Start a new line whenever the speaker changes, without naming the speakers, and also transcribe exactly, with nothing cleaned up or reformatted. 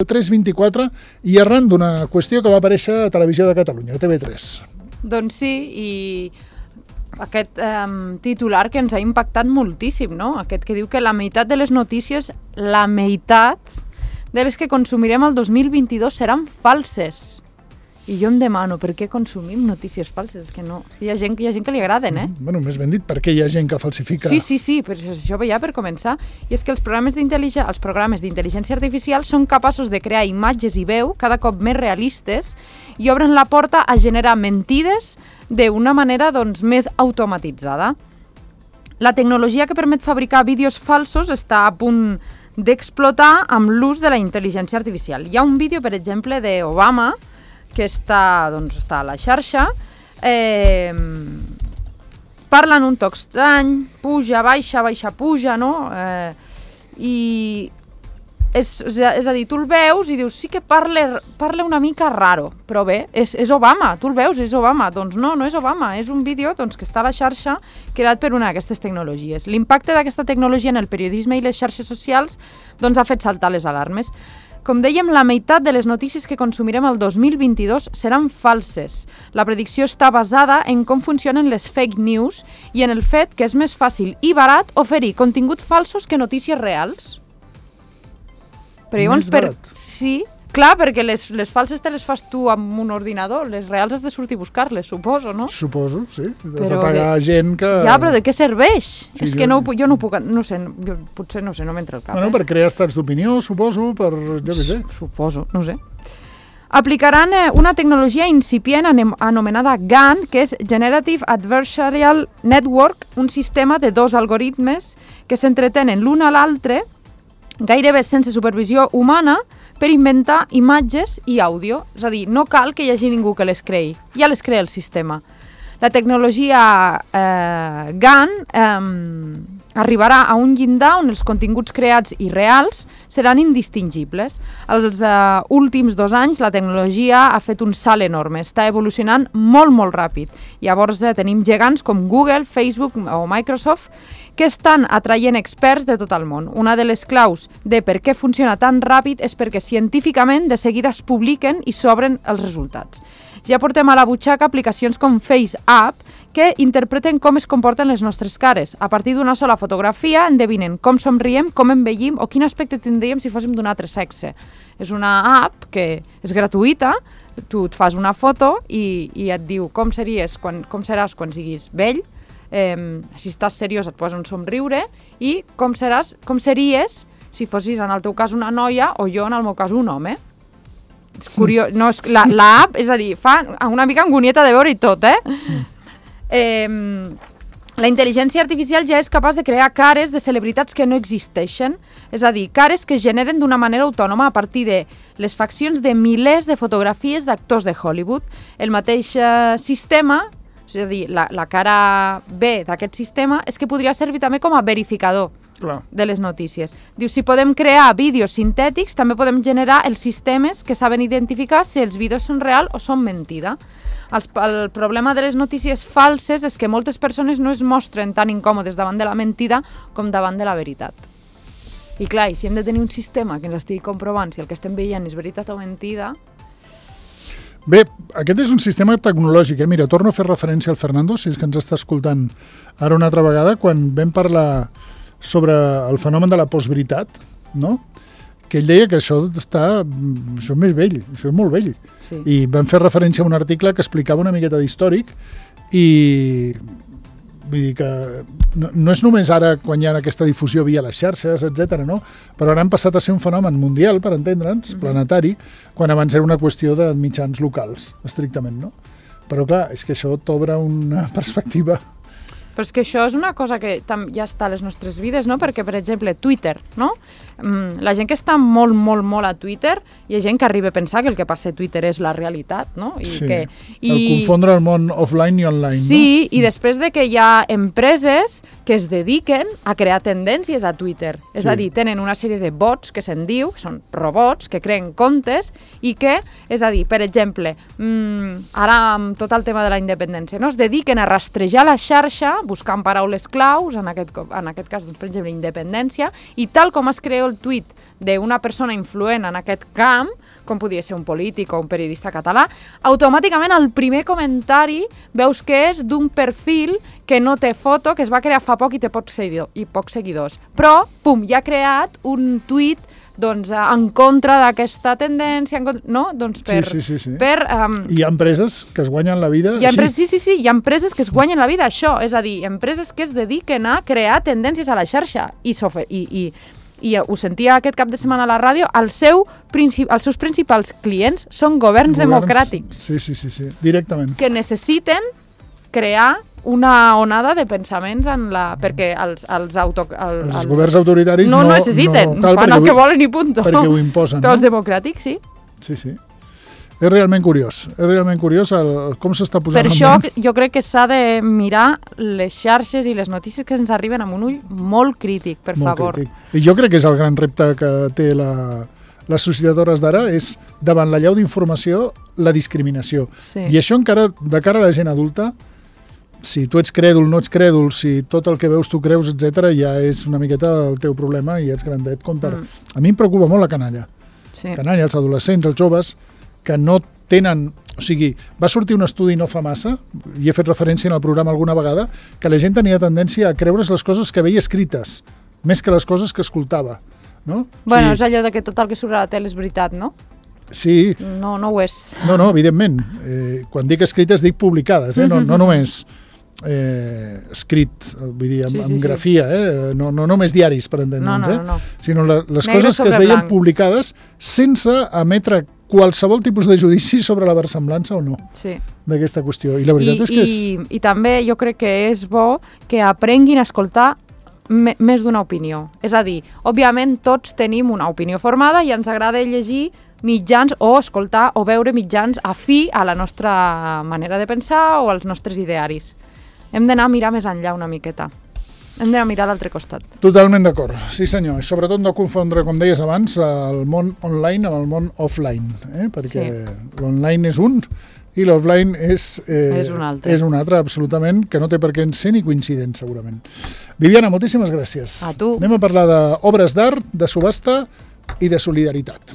tres vint-i-quatre i arran d'una qüestió que va aparèixer a Televisió de Catalunya, a T V tres.
Doncs sí, i aquest eh, titular que ens ha impactat moltíssim, no? Aquest que diu que la meitat de les notícies, la meitat de les que consumirem el dos mil vint-i-dos seran falses. I jo em demano, per què consumim notícies falses? És que no, hi ha gent, hi ha gent que li agraden, eh?
Mm, bueno, més ben dit, perquè hi ha gent que falsifica.
Sí, sí, sí, però això ja per començar. I és que els programes d'intel·ligència, els programes d'intel·ligència artificial són capaços de crear imatges i veu cada cop més realistes i obren la porta a generar mentides d'una manera doncs, més automatitzada. La tecnologia que permet fabricar vídeos falsos està a punt d'explotar amb l'ús de la intel·ligència artificial. Hi ha un vídeo, per exemple, d'Obama, que està, doncs, està a la xarxa, eh, parla en un toc estrany, puja, baixa, baixa, puja, no? Eh, I és, és a dir, tu el veus i dius, sí que parla, parla una mica raro, però bé, és, és Obama, tu el veus, és Obama. Doncs no, no és Obama, és un vídeo doncs, que està a la xarxa creat per una d'aquestes tecnologies. L'impacte d'aquesta tecnologia en el periodisme i les xarxes socials doncs, ha fet saltar les alarmes. Com dèiem, la meitat de les notícies que consumirem el dos mil vint-i-dos seran falses. La predicció està basada en com funcionen les fake news i en el fet que és més fàcil i barat oferir continguts falsos que notícies reals. Però llavors, per... Sí, clar, perquè les, les falses te les fas tu amb un ordinador, les reals has de sortir a buscar-les, suposo, no?
Suposo, sí. Has
però
de pagar
de... gent
que...
Ja, però de què serveix?
Sí,
és
jo...
que no, jo no puc... No sé, jo, potser no sé, no m'entra el cap.
Bueno,
eh?
per crear estats d'opinió, suposo, per... jo què sé.
Suposo, no sé. Aplicaran eh, una tecnologia incipient anomenada G A N, que és Generative Adversarial Network, un sistema de dos algoritmes que s'entretenen l'un a l'altre, gairebé sense supervisió humana, per inventar imatges i àudio. És a dir, no cal que hi hagi ningú que les creï, ja les crea el sistema. La tecnologia eh, G A N eh, arribarà a un llindar on els continguts creats i reals seran indistingibles. Els eh, últims dos anys la tecnologia ha fet un salt enorme, està evolucionant molt, molt ràpid. Llavors eh, tenim gegants com Google, Facebook o Microsoft que estan atraient experts de tot el món. Una de les claus de per què funciona tan ràpid és perquè científicament de seguida es publiquen i s'obren els resultats. Ja portem a la butxaca aplicacions com FaceApp que interpreten com es comporten les nostres cares. A partir d'una sola fotografia endevinen com somriem, com envellim o quin aspecte tindríem si fóssim d'un altre sexe. És una app que és gratuïta, tu et fas una foto i, i et diu com series, quan, com seràs quan siguis vell, eh, si estàs seriós et posa un somriure i com, seràs, com series si fossis en el teu cas una noia o jo en el meu cas un home. És curiós, no, és, la, la app, és a dir, fa una mica angonieta de veure i tot, eh? eh La intel·ligència artificial ja és capaç de crear cares de celebritats que no existeixen, és a dir, cares que es generen d'una manera autònoma a partir de les faccions de milers de fotografies d'actors de Hollywood. El mateix eh, sistema, és a dir, la, la cara B d'aquest sistema, és que podria servir també com a verificador
Clar.
de les notícies. Diu, si podem crear vídeos sintètics, també podem generar els sistemes que saben identificar si els vídeos són real o són mentida. El, el problema de les notícies falses és que moltes persones no es mostren tan incòmodes davant de la mentida com davant de la veritat. I clar, i si hem de tenir un sistema que ens estigui comprovant si el que estem veient és veritat o mentida...
Bé, aquest és un sistema tecnològic, eh? Mira, torno a fer referència al Fernando, si és que ens està escoltant ara una altra vegada, quan vam parlar sobre el fenomen de la postveritat, no? Que ell deia que això està, això és més vell, això és molt vell.
Sí.
I vam fer referència a un article que explicava una miqueta d'històric i vull dir que no, no és només ara quan hi ha aquesta difusió via les xarxes, etcètera, no? Però ara han passat a ser un fenomen mundial, per entendre'ns, mm-hmm. planetari, quan abans era una qüestió de mitjans locals, estrictament, no? Però clar, és que això t'obre una perspectiva...
Però és que això és una cosa que ja està a les nostres vides, no? Perquè, per exemple, Twitter, no? La gent que està molt, molt, molt a Twitter, hi ha gent que arriba a pensar que el que passa a Twitter és la realitat, no? I
sí,
que, i...
el confondre el món offline i online,
sí,
no?
I després de que hi ha empreses que es dediquen a crear tendències a Twitter. És
sí.
a dir, tenen una sèrie de bots, que se'n diu, que són robots, que creen comptes i que, és a dir, per exemple, mmm, ara amb tot el tema de la independència, no? Es dediquen a rastrejar la xarxa buscant paraules claus, en aquest, en aquest cas, doncs, per exemple, independència, i tal com es crea el tuit d'una persona influent en aquest camp, com podria ser un polític o un periodista català, automàticament el primer comentari veus que és d'un perfil que no té foto, que es va crear fa poc i té pocs seguidors, i pocs seguidors. Però, pum, ja ha creat un tuit doncs, en contra d'aquesta tendència, contra, no? Doncs per,
sí, sí, sí, sí.
per um,
hi ha empreses que es guanyen la vida
hi ha
així.
Sí, sí, sí, hi ha empreses que es guanyen la vida això, és a dir, empreses que es dediquen a crear tendències a la xarxa i, i, i i ho sentia aquest cap de setmana a la ràdio, el seu, els seus principals clients són governs, governs democràtics.
Sí, sí, sí, sí, directament.
Que necessiten crear una onada de pensaments en la... perquè els, els, auto, el,
els,
els
governs autoritaris no,
no necessiten,
no cal
fan el que volen i punto.
Perquè ho imposen.
Però els
no?
democràtics, sí.
Sí, sí. És realment curiós, és realment curiós el, com s'està posant...
Per això jo crec que s'ha de mirar les xarxes i les notícies que ens arriben amb un ull molt crític, per
molt
favor.
Crític. I jo crec que és el gran repte que té la, la societat hores d'ara, és davant la llau d'informació, la discriminació.
Sí.
I això encara, de cara a la gent adulta, si tu ets crèdul, no ets crèdul, si tot el que veus tu creus, etcètera, ja és una miqueta el teu problema i ets grandet. Com per... mm. A mi em preocupa molt la canalla. Sí. Canalla, els adolescents, els joves, que no tenen... O sigui, va sortir un estudi no fa massa, i he fet referència en el programa alguna vegada, que la gent tenia tendència a creure's les coses que veia escrites, més que les coses que escoltava. No?
Bueno,
o sigui,
és allò de que tot el que surt a la tele és veritat, no?
Sí.
No, no ho és.
No, no, evidentment. Eh, quan dic escrites, dic publicades, eh? no, no només eh, escrit, vull dir, amb,
sí, sí,
amb grafia, eh? no, no només diaris, per entendre'ns,
no, no,
eh?
no.
sinó la, les
Negre
coses que es veien
blanc.
publicades sense emetre qualsevol tipus de judici sobre la versemblança o no
sí.
d'aquesta qüestió. I la veritat
I,
és que és...
I, I també jo crec que és bo que aprenguin a escoltar me, més d'una opinió. És a dir, òbviament tots tenim una opinió formada i ens agrada llegir mitjans o escoltar o veure mitjans afí a la nostra manera de pensar o als nostres idearis. Hem d'anar a mirar més enllà una miqueta. Hem d'anar a mirar d'altre costat.
Totalment d'acord, sí senyor. I sobretot no confondre, com deies abans, el món online amb el món offline, eh? perquè sí. l'online és un i l'offline és, eh,
és, un altre.
és un altre, absolutament, que no té per què ser ni coincident, segurament. Viviana, moltíssimes gràcies.
A tu.
Anem a parlar d'obres d'art, de subhasta i de solidaritat.